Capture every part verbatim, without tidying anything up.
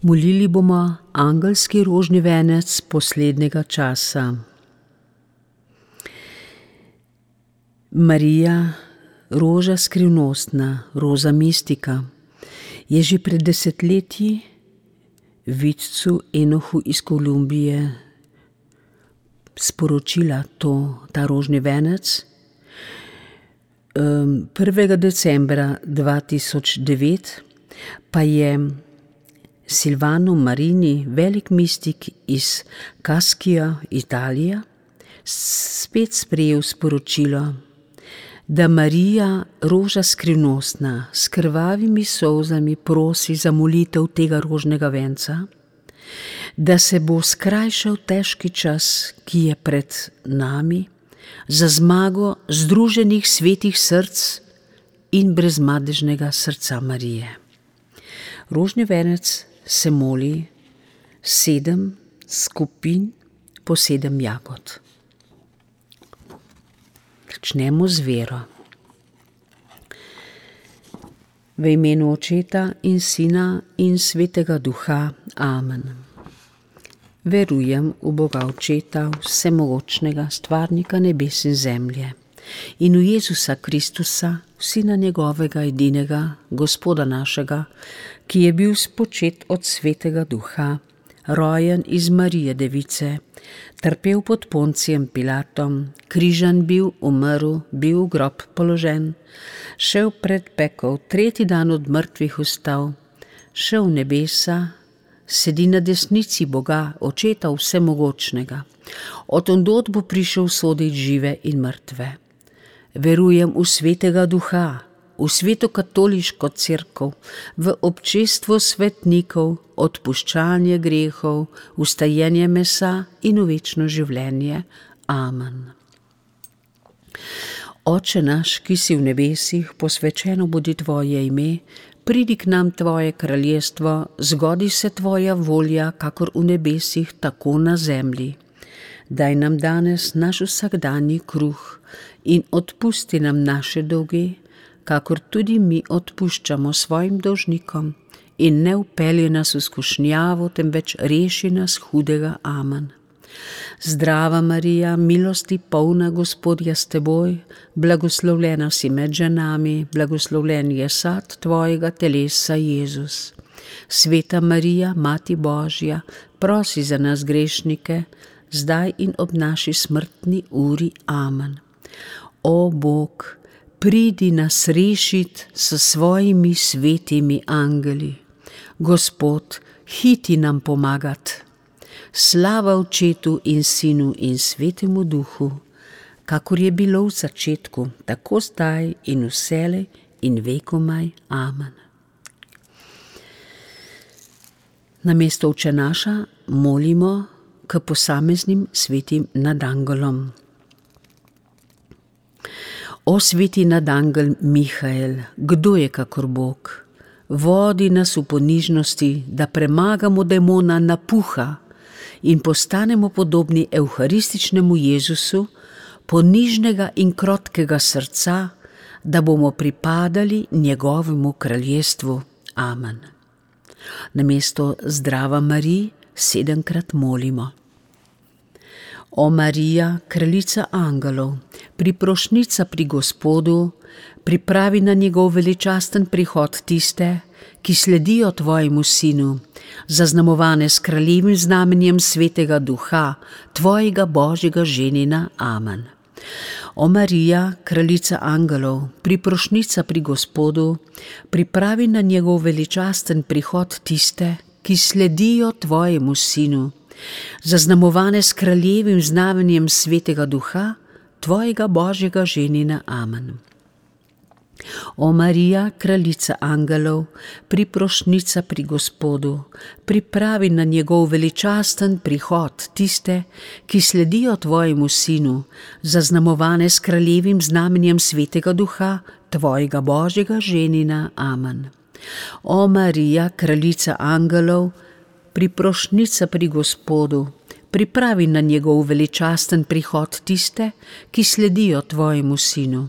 Molili bomo angelski rožni venec poslednjega časa. Marija, roža skrivnostna, roza mistika, je že pred desetletji vidcu Enohu iz Kolumbije sporočila to, ta rožni venec. prvega decembra dva tisoč devet pa je Silvano Marini, velik mistik iz Kaskija, Italija, spet sprejel sporočilo, da Marija, roža skrivnostna, s krvavimi solzami prosi za molitev tega rožnega venca, da se bo skrajšal težki čas, ki je pred nami, za zmago združenih svetih src in brezmadežnega srca Marije. Rožni venec se moli sedem skupin po sedem jagod. Začnemo z vero. V imenu Očeta in Sina in Svetega Duha. Amen. Verujem v Boga Očeta, vsemogočnega, stvarnika nebes in zemlje, in v Jezusa Kristusa, Sina njegovega edinega, Gospoda našega, ki je bil spočet od Svetega Duha, rojen iz Marije Device, trpel pod Poncijem Pilatom, križan bil, umrl, bil v grob položen, šel pred pekel, tretji dan od mrtvih vstal, šel v nebesa, sedi na desnici Boga, Očeta vsemogočnega. Od ondod bo prišel sodit žive in mrtve. Verujem v Svetega Duha, v sveto katoliško cerkev, v občestvo svetnikov, odpuščanje grehov, vstajenje mesa in v večno življenje. Amen. Oče naš, ki si v nebesih, posvečeno bodi tvoje ime, pridi k nam tvoje kraljestvo, zgodi se tvoja volja, kakor v nebesih, tako na zemlji. Daj nam danes naš vsakdanji kruh in odpusti nam naše dolge, kakor tudi mi odpuščamo svojim dolžnikom, in ne vpelji nas v skušnjavo, temveč reši nas hudega. Amen. Zdrava Marija, milosti polna, Gospod je s teboj, blagoslovljena si med ženami, blagoslovljen je sad tvojega telesa, Jezus. Sveta Marija, Mati Božja, prosi za nas grešnike, zdaj in ob naši smrtni uri. Amen. O Bog, pridi nas rešit s svojimi svetimi angeli. Gospod, hiti nam pomagat. Slava Očetu in Sinu in Svetemu Duhu, kakor je bilo v začetku, tako zdaj in vselej in vekomaj. Amen. Namesto Oče naša molimo k posameznim svetim nadangolom. O sveti nadangel Mihael, kdo je kakor Bog? Vodi nas v ponižnosti, da premagamo demona napuha in postanemo podobni evharističnemu Jezusu, ponižnega in krotkega srca, da bomo pripadali njegovemu kraljestvu. Amen. Namesto Zdrava Marij sedemkrat molimo. O Marija, kraljica angelov, priprošnica pri Gospodu, pripravi na njegov veličasten prihod tiste, ki sledijo tvojemu Sinu, zaznamovane s kraljevim znamenjem Svetega Duha, tvojega Božjega ženina. Amen. O Marija, kraljica angelov, priprošnica pri Gospodu, pripravi na njegov veličasten prihod tiste, ki sledijo tvojemu Sinu, zaznamovane s kraljevim znamenjem Svetega Duha, tvojega Božjega ženina. Amen. O Marija, kraljica angelov, priprošnica pri Gospodu, pripravi na njegov veličasten prihod tiste, ki sledijo tvojemu Sinu, zaznamovane s kraljevim znamenjem Svetega Duha, tvojega Božjega ženina. Amen. O Marija, kraljica angelov, priprošnica pri Gospodu, pripravi na njegov veličasten prihod tiste, ki sledijo tvojemu Sinu,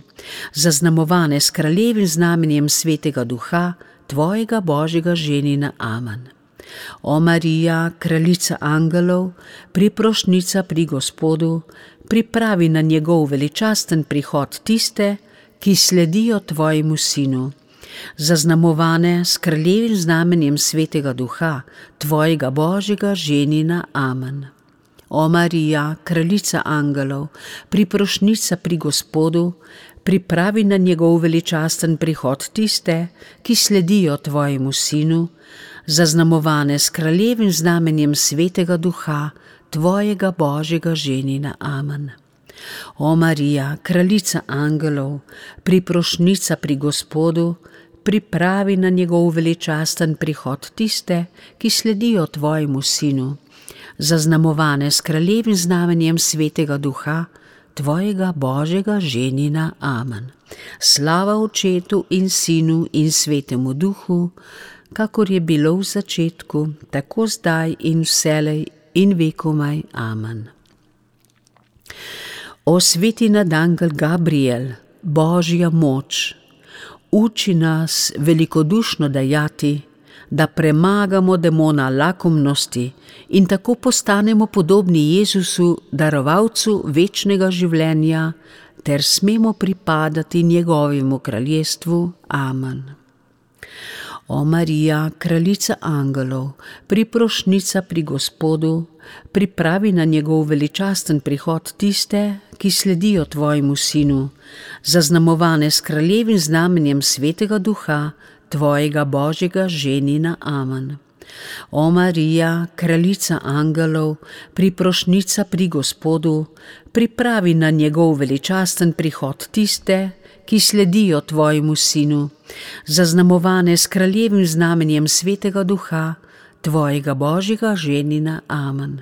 zaznamovane s kraljevim znamenjem Svetega Duha, tvojega Božjega ženina. Amen. O Marija, kraljica angelov, priprošnica pri Gospodu, pripravi na njegov veličasten prihod tiste, ki sledijo tvojemu sinu. Zaznamovane s kraljevim znamenjem Svetega Duha, tvojega Božjega ženina. Amen. O Marija, kraljica angelov, priprošnica pri Gospodu, pripravi na njegov veličasten prihod tiste, ki sledijo tvojemu sinu, zaznamovane s kraljevim znamenjem Svetega Duha, tvojega Božjega ženina. Amen. O Marija, kraljica angelov, priprošnica pri Gospodu, pripravi na njegov veličasten prihod tiste, ki sledijo tvojemu sinu, zaznamovane s kraljevim znamenjem Svetega Duha, tvojega Božjega ženina. Amen. Slava Očetu in Sinu in Svetemu Duhu, kakor je bilo v začetku, tako zdaj in vselej in vekomaj. Amen. O sveti nadangel Gabriel, Božja moč, uči nas velikodušno dajati, da premagamo demona lakomnosti in tako postanemo podobni Jezusu, darovalcu večnega življenja, ter smemo pripadati njegovemu kraljestvu. Amen. O Marija, kraljica angelov, priprošnica pri Gospodu, pripravi na njegov veličasten prihod tiste, ki sledijo tvojemu sinu, zaznamovane s kraljevim znamenjem Svetega Duha, tvojega Božjega ženina. Amen. O Marija, kraljica angelov, priprošnica pri Gospodu, pripravi na njegov veličasten prihod tiste, ki sledijo tvojemu sinu, zaznamovane s kraljevim znamenjem Svetega Duha, tvojega Božjega ženina. Amen.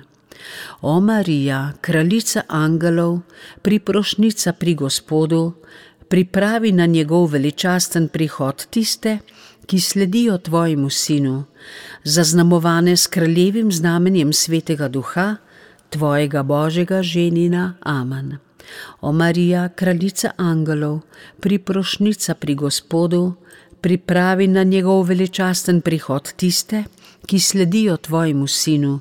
O Marija, kraljica angelov, priprošnica pri Gospodu, pripravi na njegov veličasten prihod tiste, ki sledijo tvojemu sinu, zaznamovane s kraljevim znamenjem Svetega Duha, tvojega Božjega ženina. Amen. O Marija, kraljica angelov, priprošnica pri Gospodu, pripravi na njegov veličasten prihod tiste, ki sledijo tvojemu sinu,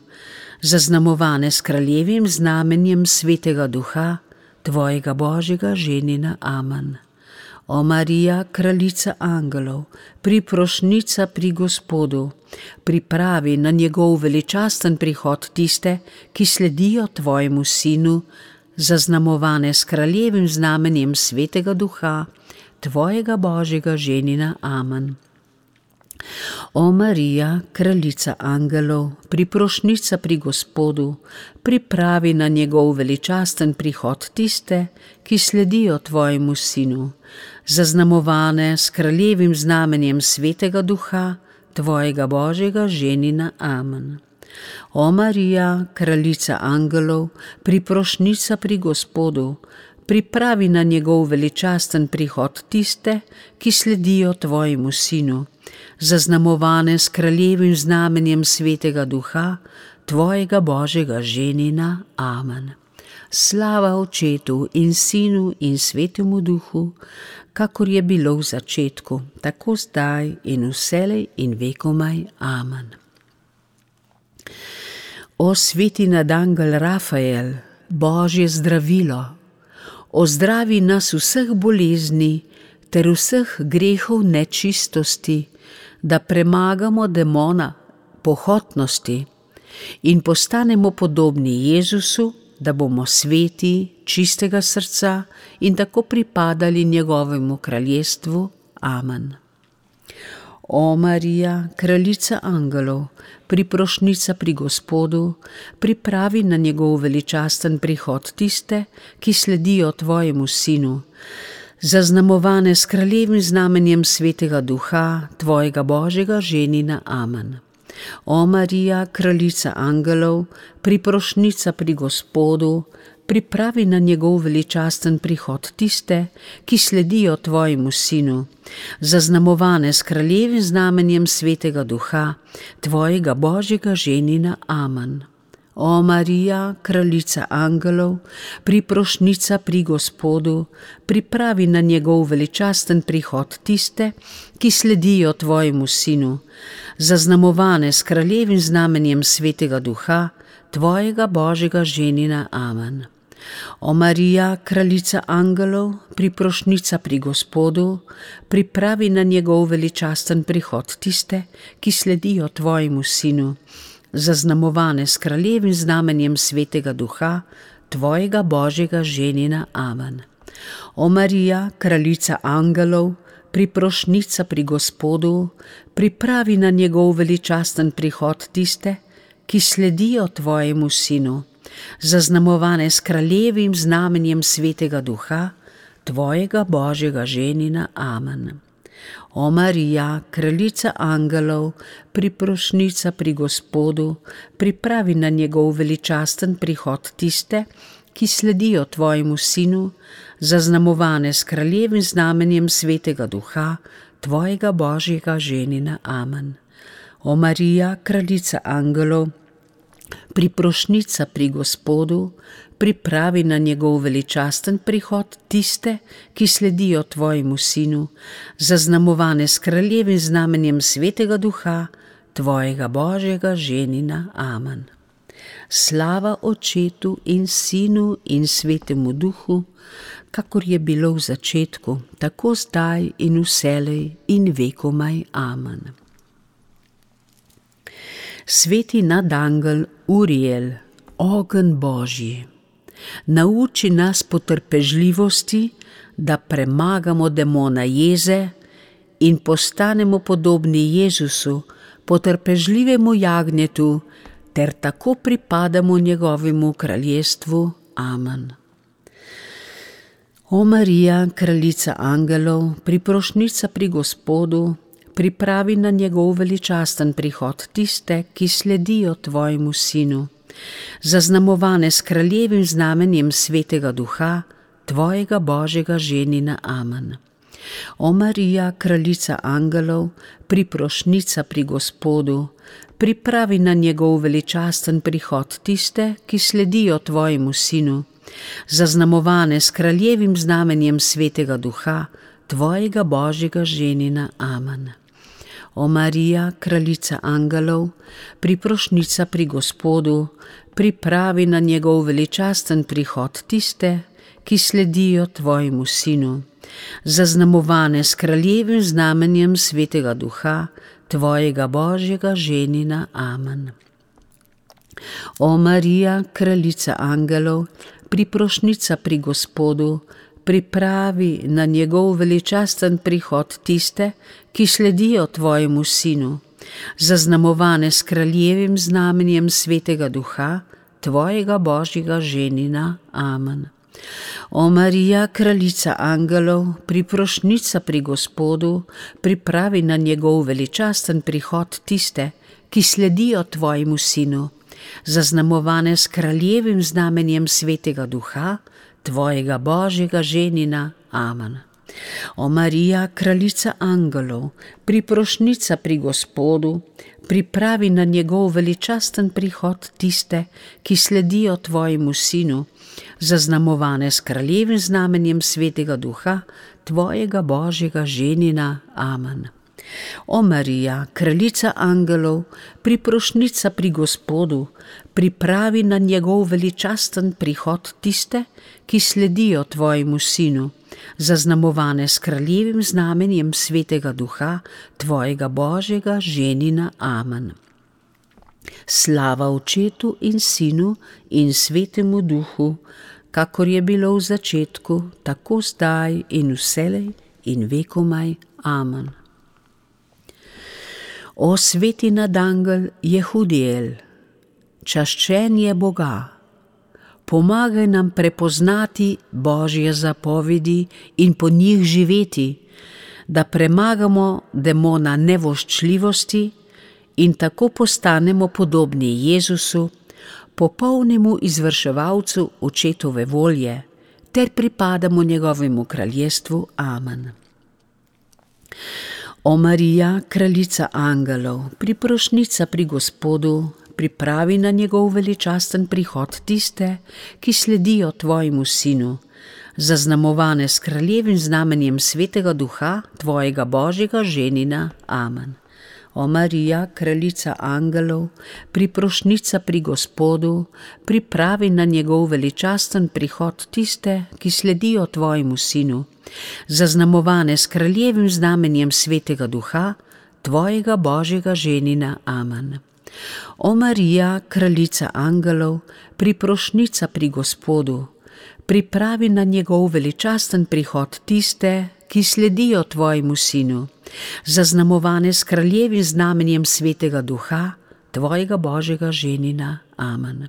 zaznamovane s kraljevim znamenjem Svetega Duha, tvojega Božjega ženina. Amen. O Marija, kraljica angelov, priprošnica pri Gospodu, pripravi na njegov veličasten prihod tiste, ki sledijo tvojemu sinu, zaznamovane s kraljevim znamenjem Svetega Duha, tvojega Božjega ženina. Amen. O Marija, kraljica angelov, priprošnica pri Gospodu, pripravi na njegov veličasten prihod tiste, ki sledijo tvojemu sinu, zaznamovane s kraljevim znamenjem Svetega Duha, tvojega Božjega ženina. Amen. O Marija, kraljica angelov, priprošnica pri Gospodu, pripravi na njegov veličasten prihod tiste, ki sledijo tvojemu sinu, zaznamovane s kraljevim znamenjem Svetega Duha, tvojega Božjega ženina. Amen. Slava Očetu in Sinu in Svetemu Duhu, kakor je bilo v začetku, tako zdaj in vselej in vekomaj. Amen. O sveti nadangel Rafael, Božje zdravilo, ozdravi nas vseh bolezni ter vseh grehov nečistosti, da premagamo demona pohotnosti in postanemo podobni Jezusu, da bomo sveti, čistega srca in tako pripadali njegovemu kraljestvu. Amen. O Marija, kraljica angelov, priprošnica pri Gospodu, pripravi na njegov veličasten prihod tiste, ki sledijo tvojemu sinu, zaznamovane s kraljevim znamenjem Svetega Duha, tvojega Božjega ženina. Amen. O Marija, kraljica angelov, priprošnica pri Gospodu, pripravi na njegov veličasten prihod tiste, ki sledijo tvojemu sinu, zaznamovane s kraljevim znamenjem Svetega Duha, tvojega Božjega ženina. Amen. O Marija, kraljica angelov, priprošnica pri Gospodu, pripravi na njegov veličasten prihod tiste, ki sledijo tvojemu sinu, zaznamovane s kraljevim znamenjem Svetega Duha, tvojega Božjega ženina. Amen. O Marija, kraljica angelov, priprošnica pri Gospodu, pripravi na njegov veličasten prihod tiste, ki sledijo tvojemu sinu, zaznamovane s kraljevim znamenjem Svetega Duha, tvojega Božjega ženina. Amen. O Marija, kraljica angelov, priprošnica pri Gospodu, pripravi na njegov veličasten prihod tiste, ki sledijo tvojemu sinu, zaznamovane s kraljevim znamenjem Svetega Duha, tvojega Božjega ženina. Amen. O Marija, kraljica angelov, priprošnica pri Gospodu, pripravi na njegov veličasten prihod tiste, ki sledijo tvojemu sinu, zaznamovane s kraljevim znamenjem Svetega Duha, tvojega Božjega ženina. Amen. O Marija, kraljica angelov, priprošnica pri Gospodu, pripravi na njegov veličasten prihod tiste, ki sledijo tvojemu sinu, zaznamovane s kraljevim znamenjem Svetega Duha, tvojega Božjega ženina. Amen. Slava Očetu in Sinu in Svetemu Duhu, kakor je bilo v začetku, tako zdaj in vselej in vekomaj. Amen. Sveti nadangel Uriel, ogenj Božji, nauči nas potrpežljivosti, da premagamo demona jeze in postanemo podobni Jezusu, potrpežljivemu jagnjetu, ter tako pripadamo njegovemu kraljestvu. Amen. O Marija, kraljica angelov, priprošnica pri Gospodu, pripravi na njegov veličasten prihod tiste, ki sledijo tvojemu sinu, zaznamovane s kraljevim znamenjem Svetega Duha, tvojega Božjega ženina. Amen. O Marija, kraljica angelov, priprošnica pri Gospodu, pripravi na njegov veličasten prihod tiste, ki sledijo tvojemu sinu, zaznamovane s kraljevim znamenjem Svetega Duha, tvojega Božjega ženina. Amen. O Marija, kraljica angelov, priprošnica pri Gospodu, pripravi na njegov veličasten prihod tiste, ki sledijo tvojemu sinu, zaznamovane s kraljevim znamenjem Svetega Duha, tvojega Božjega ženina. Amen. O Marija, kraljica angelov, priprošnica pri Gospodu, pripravi na njegov veličasten prihod tiste, ki sledijo tvojemu sinu, zaznamovane s kraljevim znamenjem Svetega Duha, tvojega Božjega ženina. Amen. O Marija, kraljica angelov, priprošnica pri Gospodu, pripravi na njegov veličasten prihod tiste, ki sledijo tvojemu sinu, zaznamovane s kraljevim znamenjem Svetega Duha, tvojega Božjega ženina. Amen. O Marija, kraljica angelov, priprošnica pri Gospodu, pripravi na njegov veličasten prihod tiste, ki sledijo tvojemu sinu, zaznamovane s kraljevim znamenjem Svetega Duha, tvojega Božjega ženina. Amen. O Marija, kraljica angelov, priprošnica pri Gospodu, pripravi na njegov veličasten prihod tiste, ki sledijo tvojemu sinu, zaznamovane s kraljevim znamenjem Svetega Duha, tvojega Božjega ženina. Amen. Slava Očetu in Sinu in Svetemu Duhu, kakor je bilo v začetku, tako zdaj in vselej in vekomaj. Amen. O sveti nadangel Jehudiel, čaščen je Boga, pomagaj nam prepoznati Božje zapovedi in po njih živeti, da premagamo demona nevoščljivosti in tako postanemo podobni Jezusu, popolnemu izvrševalcu Očetove volje, ter pripadamo njegovemu kraljestvu. Amen. O Marija, kraljica angelov, priprošnica pri Gospodu, pripravi na njegov veličasten prihod tiste, ki sledijo tvojemu sinu, zaznamovane s kraljevim znamenjem Svetega Duha, tvojega Božjega ženina. Amen. O Marija, kraljica angelov, priprošnica pri Gospodu, pripravi na njegov veličasten prihod tiste, ki sledijo tvojemu sinu, zaznamovane s kraljevim znamenjem Svetega Duha, tvojega Božjega ženina. Amen. O Marija, kraljica angelov, priprošnica pri Gospodu, pripravi na njegov veličasten prihod tiste, ki sledijo tvojemu sinu, zaznamovane s kraljevim znamenjem Svetega Duha, tvojega Božjega ženina. Amen.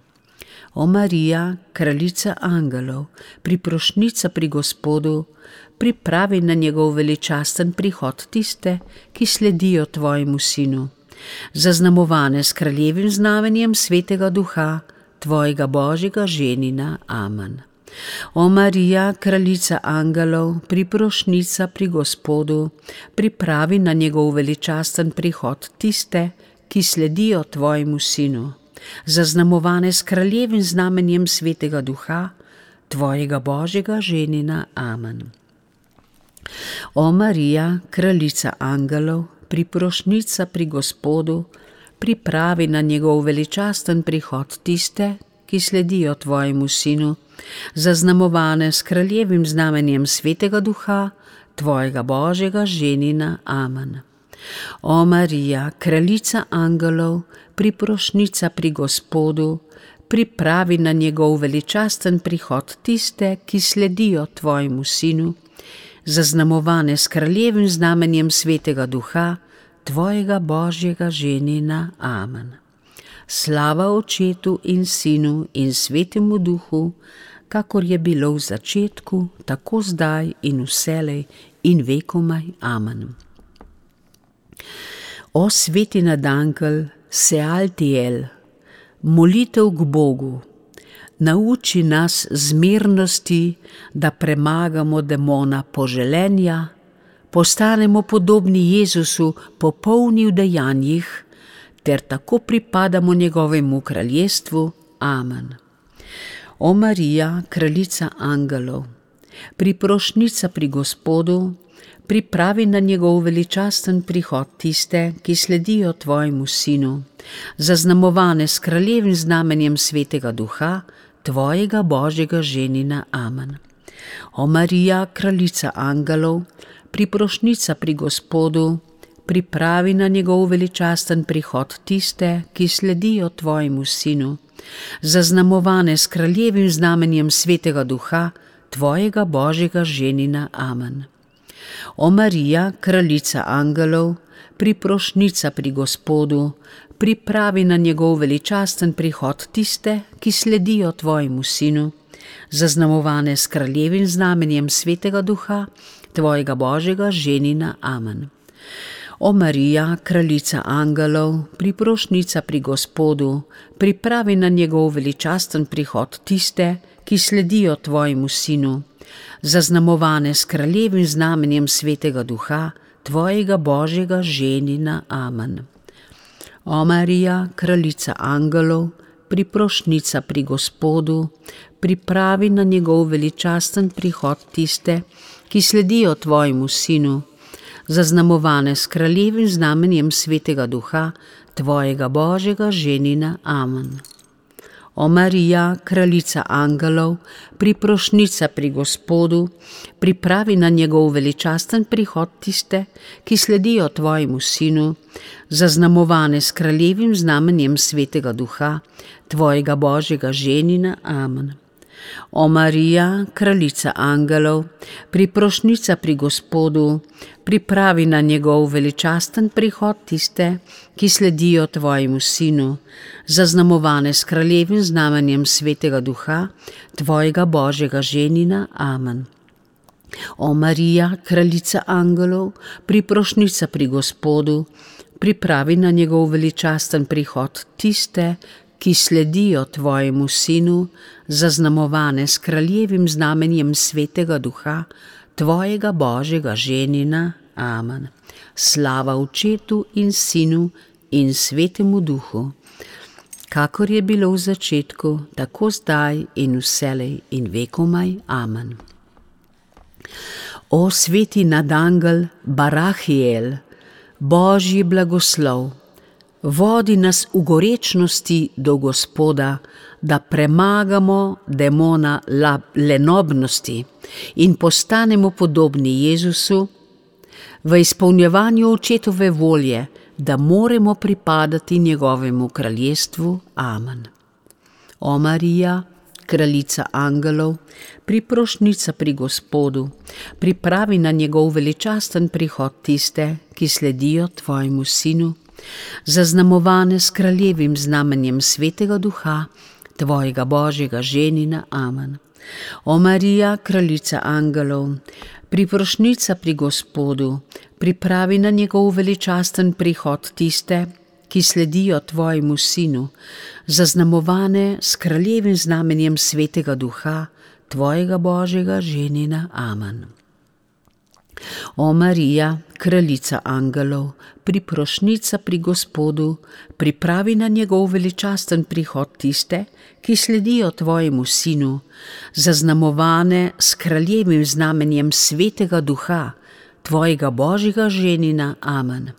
O Marija, kraljica angelov, priprošnica pri Gospodu, pripravi na njegov veličasten prihod tiste, ki sledijo tvojemu sinu, zaznamovane s kraljevim znamenjem Svetega Duha, tvojega Božjega ženina. Amen. O Marija, kraljica angelov, priprošnica pri Gospodu, pripravi na njegov veličasten prihod tiste, ki sledijo tvojemu sinu, zaznamovane s kraljevim znamenjem Svetega Duha, tvojega Božjega ženina. Amen. O Marija, kraljica angelov, priprošnica pri Gospodu, pripravi na njegov veličasten prihod tiste, ki sledijo tvojemu sinu, zaznamovane s kraljevim znamenjem Svetega Duha, tvojega Božjega ženina. Amen. O Marija, kraljica angelov, priprošnica pri Gospodu, pripravi na njegov veličasten prihod tiste, ki sledijo tvojemu sinu, zaznamovane s kraljevim znamenjem Svetega Duha, tvojega Božjega ženina. Amen. Slava Očetu in Sinu in Svetemu Duhu, kakor je bilo v začetku, tako zdaj in vselej in vekomaj. Amen. O sveti nadankel Sealtiel, molitev k Bogu, nauči nas zmernosti, da premagamo demona poželenja, postanemo podobni Jezusu, popolni v dejanjih, ter tako pripadamo njegovemu kraljestvu. Amen. O Marija, kraljica angelov, priprošnica pri Gospodu, pripravi na njegov veličasten prihod tiste, ki sledijo tvojemu sinu, zaznamovane s kraljevim znamenjem Svetega Duha, tvojega Božjega ženina. Amen. O Marija, kraljica angelov, priprošnica pri Gospodu, pripravi na njegov veličasten prihod tiste, ki sledijo tvojemu sinu, zaznamovane s kraljevim znamenjem Svetega Duha, tvojega Božjega ženina. Amen. O Marija, kraljica angelov, priprošnica pri Gospodu, pripravi na njegov veličasten prihod tiste, ki sledijo tvojemu sinu, zaznamovane s kraljevim znamenjem Svetega Duha, tvojega Božjega ženina. Amen. O Marija, kraljica angelov, priprošnica pri Gospodu, pripravi na njegov veličasten prihod tiste, ki sledijo tvojemu sinu, zaznamovane s kraljevim znamenjem Svetega Duha, tvojega Božjega ženina. Amen. O Marija, kraljica angelov, priprošnica pri Gospodu, pripravi na njegov veličasten prihod tiste, ki sledijo tvojemu sinu, zaznamovane s kraljevim znamenjem Svetega Duha, tvojega Božjega ženina. Amen. O Marija, kraljica angelov, priprošnica pri Gospodu, pripravi na njegov veličasten prihod tiste, ki sledijo tvojemu sinu, zaznamovane s kraljevim znamenjem Svetega Duha, tvojega Božjega ženina. Amen. O Marija, kraljica angelov, priprošnica pri Gospodu, pripravi na njegov veličasten prihod tiste, ki sledijo tvojemu sinu, zaznamovane s kraljevim znamenjem Svetega Duha, tvojega Božjega ženina. Amen. O Marija, kraljica angelov, priprošnica pri Gospodu, pripravi na njegov veličasten prihod tiste, ki sledijo tvojemu sinu, zaznamovane s kraljevim znamenjem Svetega Duha, tvojega Božjega ženina. Amen. Slava Očetu in Sinu in Svetemu Duhu, kakor je bilo v začetku, tako zdaj in vselej in vekomaj. Amen. O sveti nadangel Barahiel, Božji blagoslov, vodi nas v gorečnosti do Gospoda, da premagamo demona lenobnosti in postanemo podobni Jezusu v izpolnjevanju očetove volje, da moremo pripadati njegovemu kraljestvu. Amen. O Marija, kraljica angelov, priprošnica pri Gospodu, pripravi na njegov veličasten prihod tiste, ki sledijo tvojemu sinu, zaznamovane s kraljevim znamenjem Svetega Duha, tvojega Božjega ženina. Amen. O Marija, kraljica angelov, priprošnica pri Gospodu, pripravi na njegov veličasten prihod tiste, ki sledijo tvojemu sinu, zaznamovane s kraljevim znamenjem Svetega Duha, tvojega Božjega ženina. Amen. O Marija, kraljica angelov, priprošnica pri Gospodu, pripravi na njegov veličasten prihod tiste, ki sledijo tvojemu sinu, zaznamovane s kraljevim znamenjem Svetega Duha, tvojega Božjega ženina. Amen.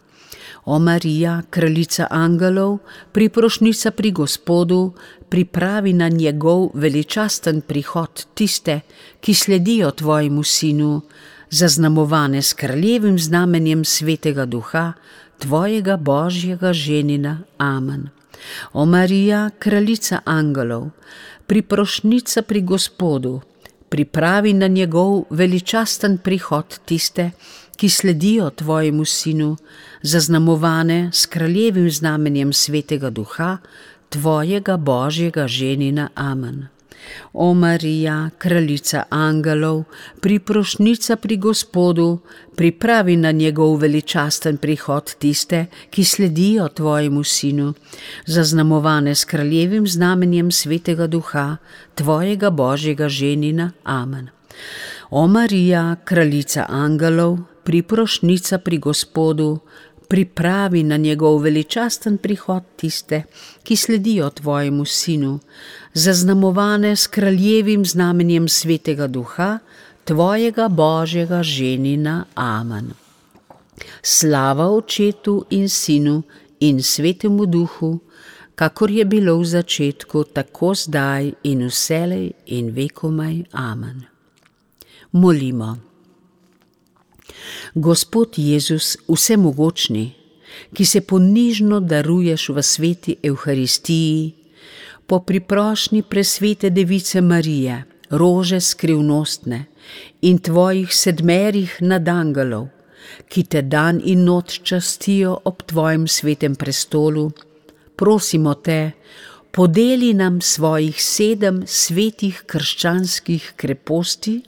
O Marija, kraljica angelov, priprošnica pri Gospodu, pripravi na njegov veličasten prihod tiste, ki sledijo tvojemu sinu, zaznamovane s kraljevim znamenjem Svetega Duha, tvojega Božjega ženina. Amen. O Marija, kraljica angelov, priprošnica pri Gospodu, pripravi na njegov veličasten prihod tiste, ki sledijo tvojemu sinu, zaznamovane s kraljevim znamenjem Svetega Duha, tvojega Božjega ženina. Amen. O Marija, kraljica angelov, priprošnica pri Gospodu, pripravi na njegov veličasten prihod tiste, ki sledijo tvojemu sinu, zaznamovane s kraljevim znamenjem Svetega Duha, tvojega Božjega ženina. Amen. O Marija, kraljica angelov, priprošnica pri Gospodu, pripravi na njegov veličasten prihod tiste, ki sledijo tvojemu sinu, zaznamovane s kraljevim znamenjem Svetega Duha, tvojega Božjega ženina. Amen. Slava Očetu in Sinu in Svetemu Duhu, kakor je bilo v začetku, tako zdaj in vselej in vekomaj. Amen. Molimo. Gospod Jezus, vsemogočni, ki se ponižno daruješ v sveti Evharistiji, po priprošnji presvete Device Marije, rože skrivnostne in tvojih sedmerih nadangelov, ki te dan in noč častijo ob tvojem svetem prestolu, prosimo te, podeli nam svojih sedem svetih krščanskih kreposti,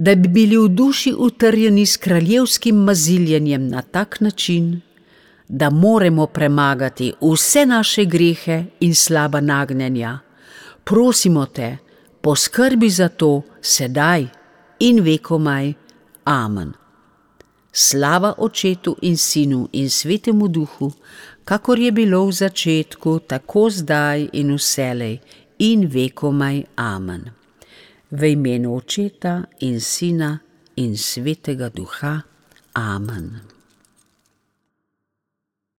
da bi bili v duši utrjeni s kraljevskim maziljenjem na tak način, da moremo premagati vse naše grehe in slaba nagnjenja. Prosimo te, poskrbi za to sedaj in vekomaj. Amen. Slava Očetu in Sinu in Svetemu Duhu, kakor je bilo v začetku, tako zdaj in vselej in vekomaj. Amen. V imenu Očeta in Sina in Svetega Duha. Amen.